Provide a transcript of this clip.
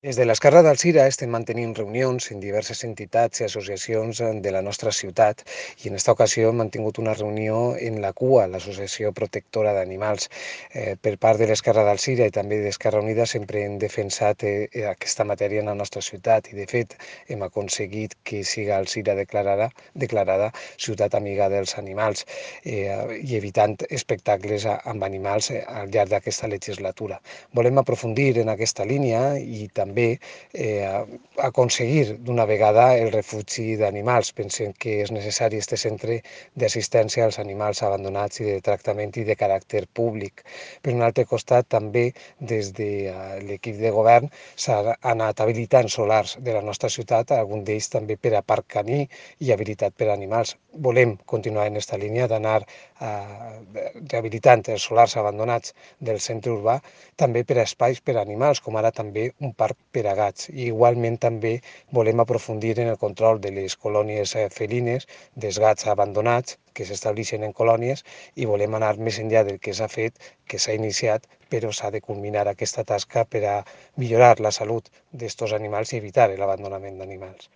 Des de l'Esquerra d'Alzira estem mantenint reunions en diverses entitats i associacions de la nostra ciutat i en esta ocasió hem mantingut una reunió en la CUA, l'Associació Protectora d'Animals. Per part de l'Esquerra d'Alzira i també d'Esquerra Unida sempre hem defensat aquesta matèria en la nostra ciutat i de fet hem aconseguit que siga Alzira declarada ciutat amiga dels animals i evitant espectacles amb animals al llarg d'aquesta legislatura. Volem aprofundir en aquesta línia i també aconseguir d'una vegada el refugi d'animals. Pensem que és necessari este centre d'assistència als animals abandonats i de tractament i de caràcter públic. Per un altre costat, també des de l'equip de govern s'ha anat habilitant solars de la nostra ciutat, algun d'ells també per a parc caní i habilitat per a animals. Volem continuar en aquesta línia d'anar rehabilitant els solars abandonats del centre urbà també per a espais per a animals, com ara també un parc per a gats. I igualment també volem aprofundir en el control de les colònies felines, dels gats abandonats que s'estableixen en colònies i volem anar més enllà del que s'ha fet, que s'ha iniciat, però s'ha de culminar aquesta tasca per a millorar la salut d'estos animals i evitar l'abandonament d'animals.